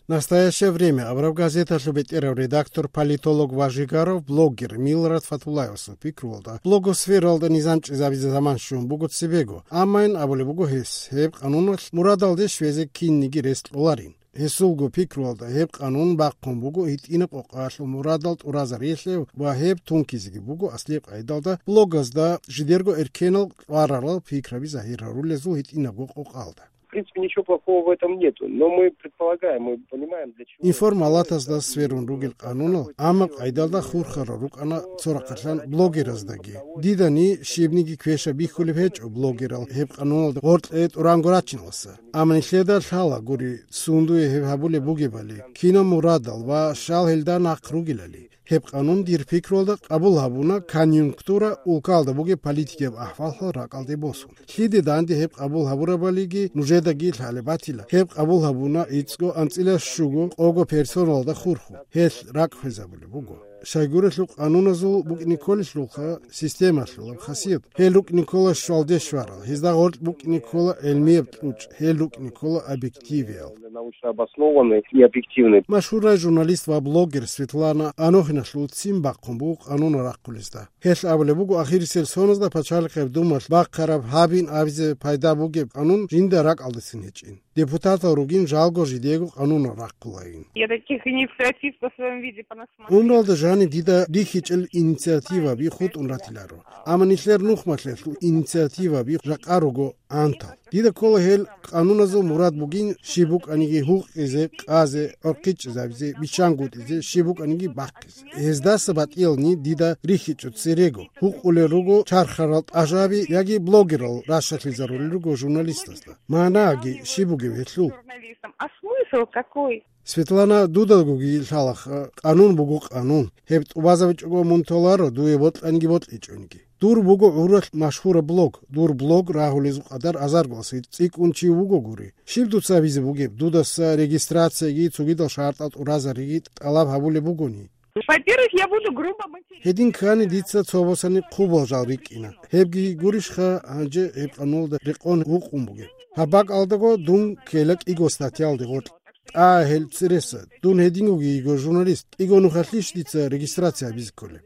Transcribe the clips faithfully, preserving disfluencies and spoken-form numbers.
«Настоящее время» абураб газеталъул бетӀерав редактор, политолог ва жигарав блогер Милрат Фатуллаевасул пикруялда, блогосфералда низам чӀезабизе заман щун буго цебего, аммайин абулеб буго гьес, гьеб къануналъ мурадалде щвезе кинниги рес кьоларин. Гьесулго пикруялда гьеб къанун бахъун буго гьитӀинаб къокъаялъул мурадал тӀуразариялъе ва гьеб тункизеги буго аслияб къайдалда блогазда жидерго эркенал кьварарал пикраби загьир гьарулезул гьитӀинабго къокъалда. В принципе, ничего плохого в этом нету, но мы предполагаем, мы понимаем, для чего. Информалатазда сверун ругел къанунал, амма къайдалда хурхарал рукӀана цо рахъалъан блогераздаги. Дидани щибниги квеша бихьулеб гьечӀо блогерал гьеб къануналда гъоркье тӀуранго рачиналса. Амма нилъеда лъала гури, сундуе гьеб гьабулеб бугебали, кинаб мурадал ва щал гьелда нахъ ругелали. Гьеб къанун дир пикруялда къабул гьабуна конъюнктура, улкалда бугеб политикияб ахӀвал-хӀал ракӀалде босун. Лъиде данде гьеб къабул гьабурабалиги нужедаги лъалеб батила. Гьеб къабул гьабуна ицӀго анцӀила щуго къого персоналда хурхун. Гьелъ ракӀ хвезабулеб буго. Щайгурелъул къануназул букӀине кколелъулха системалъулаб хасият. Гьел рукӀине ккола щвалде щварал, гьезда гъоркь букӀине ккола гӀелмияб кьучӀ, гьел рукӀине ккола объективиял. Научно обоснованный и объективный. Машгьурай журналист ва блогер Светлана Анохиналъул ццин бахъун буго къанунал рахъулезда. Гьелъ абулеб буго, ахирисел соназда Пачалихъеб Думалъ бахъараб гьабин абизе пайда бугеб къанун жинда ракӀалдецин гьечӀин. Депутатал ругин жалго жидего къанунал рахъулайин. Я таких инициатив по своем виде понасмотрела. Умралда жаниб дида рихьичӀел инициативаби хутӀун ратиларо. Амма нилъер нухмалъелъул инициативаби жакъа руго антал. Дида ккола гьел къануназул мурад бугин щиб букӀаниги гьукъизе, къазе, гӀорхъичӀезабизе, биччангутӀизе, щиб букӀаниги бахъизе. Гьездаса батӀиялни дида рихьичӀо церего. Гьукъулел руго чархарал тӀажаби яги блогерал ращалъизарулел руго журналистазда. Манаги щиб бугев гьелъул? Журналистам. А смысл какой? Светлана, дудагоги лъалаха, къанун буго къанун. Гьеб тӀубазабичӀого мун толаро, дуе бокьаниги бокьичӀониги. Дур буго гӀуралъ машгьураб блог. Дур блог рагьулезул къадар азарго асир цӀикӀкӀун чи вугогури. Щиб дуца абизе бугеб, дудаса регистрацияги цогидал шартӀал тӀуразариги тӀалаб гьабулеб бугони? Во-первых, я буду грубо материться. Гьедин ккани дица цо босани хъубал жал рикӀкӀина. Гьебги гурищха гьанже гьеб къанулда рекъон вукъун бугеб? Гьаб бакӀалдаго дун ккела кӀиго статьялде гъоркь. ТӀа гьел цереса, дун гьединго йиго журналист, кӀиго нухалъищ дица регистрация гьабизе кколеб?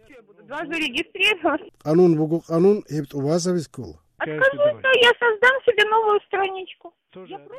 Два зарегистрировать. Къанун буго къанун, гьеб тӀубазабизе ккола. Откажусь, но я создам себе новую страничку.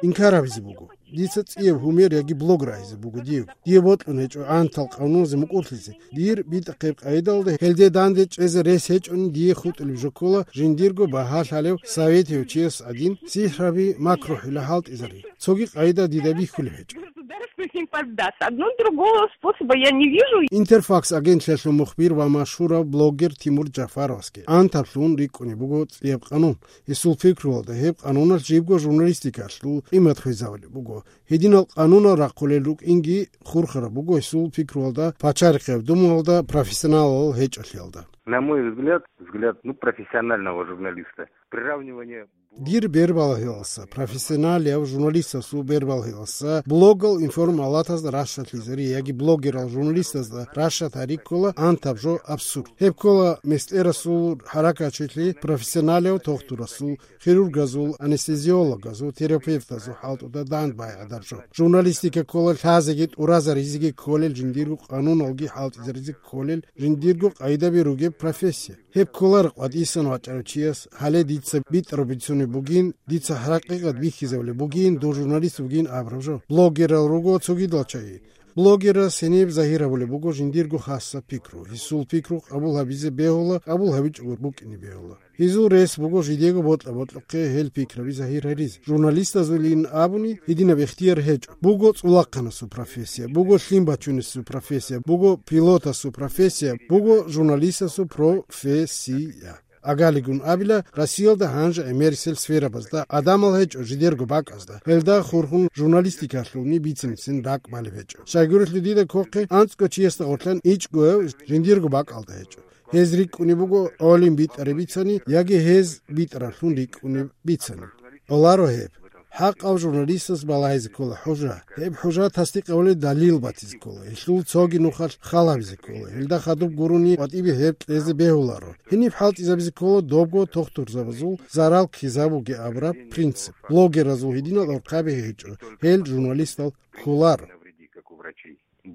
Инкар гьабизе буго. Дица цӀияб гьумер яги блог рагьизе буго дие. Дие бокьун гьечӀо антал къануназе мукӀурлъизе. Дир битӀахъеб къайдалда гьелде данде чӀезе рес гьечӀони дие хутӀулеб жо ккола жиндирго багьа лъалев советияв чияс гӀадин, сихӀраби, макрухӀила хӀалтӀизари. Цоги къайда дида бихьулеб гьечӀо. Государству не поддаться. Одно другого способа я не вижу. Интерфакс агентлъиялъул мухбир ва машгьурав блогер Тимур Джафаровасги антаблъун рикӀкӀунеб буго цӀияб къанун. Гьесул пикруялда, гьеб къануналъ жибго журналистикалъул къимат хвезабулеб буго. Гьединал къанунал рахъулел рукӀинги хурхараб буго гьесул пикруялда, Пачалихъеб Думаялда профессионалал гьечӀолъиялда. На мой взгляд, взгляд, ну, профессионального журналиста, приравнивание. Дир бербалгьилалса, профессионалияв журналистасул бербалгьилалса, блогал информалатазда ращалъизари яги блогерал журналистазда ращад гьари ккола антаб жо абсурд. Гьеб ккола мистӀерасул, хӀаракатчилъи, профессионалияв тохтурасул, хирургазул, анестезиологазул, терапевтазул хӀалтӀуда дандбай гӀадаржо. Журналистика ккола лъазеги тӀуразаризеги кколел, жиндирго къануналги хӀалтӀизаризе кколел, жиндирго къайдаби ругеб профессия. Гьеб кколаро къватӀисан вачӀарав чияс, гьале дица битӀараб бицунеб бугин, дица хӀакъикъат бихьизабулеб бугин, дун журналист вугин абураб жо. Блогерал руго цогидал чагӀи. Блогерас гьениб загьир гьабулеб буго жиндирго хасаб пикру. Гьесул пикру къабул гьабизе бегьула, къабул гьабичӀого букӀине бегьула. Гьезул рес буго жидего бокьа-бокьухъе гьел пикраби загьир гьаризе. Журналистазулин абуни гьединаб ихтияр гьечӀо. Буго цӀулахъанасул профессия, буго лъим бачунесул профессия, буго пилотасул профессия, буго журналистасул профессия. Агалигун абила, Россиялда гьанже гӀемерисел сферабазда адамал гьечӀо жидерго бакӀазда. Гьелда хурхун журналистикалъулни бицинцин ракӀ балеб гьечӀо. Щайгурелъул дида кохъе анцӀго чиясда гъорлъан ичӀгояв жиндирго бакӀалда гьечӀо. Гьез рикӀкӀунеб буго гӀолин битӀараб бицани яги гьез битӀаралъун рикӀкӀунеб бицани. Гьоларо гьеб. ХӀакъав журналистас балагьизе ккола хӀужа. Гьеб хӀужа тасдикъ гьавулел далил батизе ккола. Гьелъул цоги нухалъ хал гьабизе ккола. Гьелда хадуб гурони ватӀибе гьеб кьезе бегьуларо. Гьениб хӀалтӀизабизе ккола добго тохтурзабазул зарал ккезабуге абураб принцип. Блогеразул гьединал орхъаби гьечӀо. Гьел журналистал кколаро.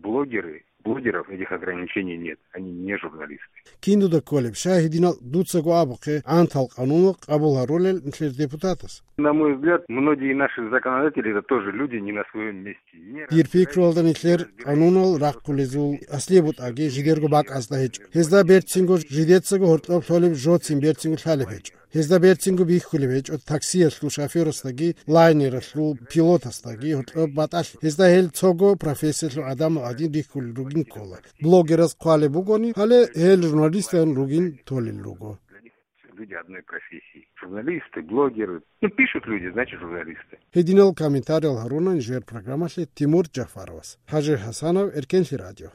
Блогеры, блогеров этих ограничений нет, они не журналисты. Киндуда кколеб, щай гьединал дуцаго абухъе, гӀантал къануналъ къабул гьарулел нилъер депутатас? На мой взгляд, многие наши законодатели — это тоже люди не на своем месте. Дир пикруялда, нилъер къанунал рахъулезул аслияб бутӀаги жидерго бакӀазда гьечӀо. Гьезда берцинго жидецаго гьоркьоб лъолеб, жоцин берцинго лъалеб гьечӀо. Гьезда берцинго бихьулеб гьечӀо таксиялъул шофёрасдаги, лайнералъул пилотасдаги гьоркьоб батӀалъи. Гьезда гьел цого профессиялъул гӀадамал гӀадин рихьулел ругин ккола. Блогераз хъвалеб бугони, гьале гьел журналистан ругин толел руго. Люди одной профессии. Журналисты, блогеры. Ну, пишут люди, значит, журналисты. Гьединал комментариял гьаруна нижер программалъе Тимур Джафаровас. ХӀажи ХӀасанов, Эркенлъи радио.